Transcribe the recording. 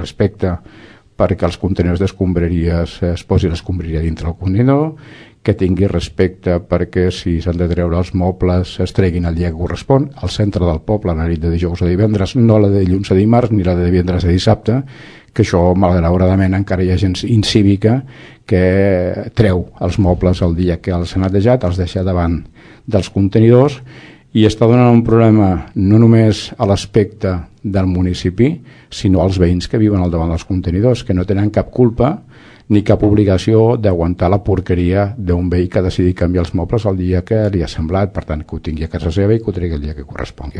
respecte perquè els contenidors d'escombraries es posi l'escombraria dintre el contenidor, que tingui respecte perquè si s'han de treure els mobles es treguin el dia que correspon, al centre del poble, la nit de dijous a divendres, no la de dilluns a dimarts ni la de divendres a dissabte, que això malauradament encara hi ha gent incívica que treu els mobles el dia que els ha netejat, els deixa davant dels contenidors i està donant un problema no només a l'aspecte del municipi, sinó als veïns que viuen al davant dels contenidors, que no tenen cap culpa ni cap obligació d'aguantar la porqueria d'un veí que ha decidit canviar els mobles el dia que li ha semblat, per tant que ho tingui a casa seva i que ho tregui el dia que correspongui.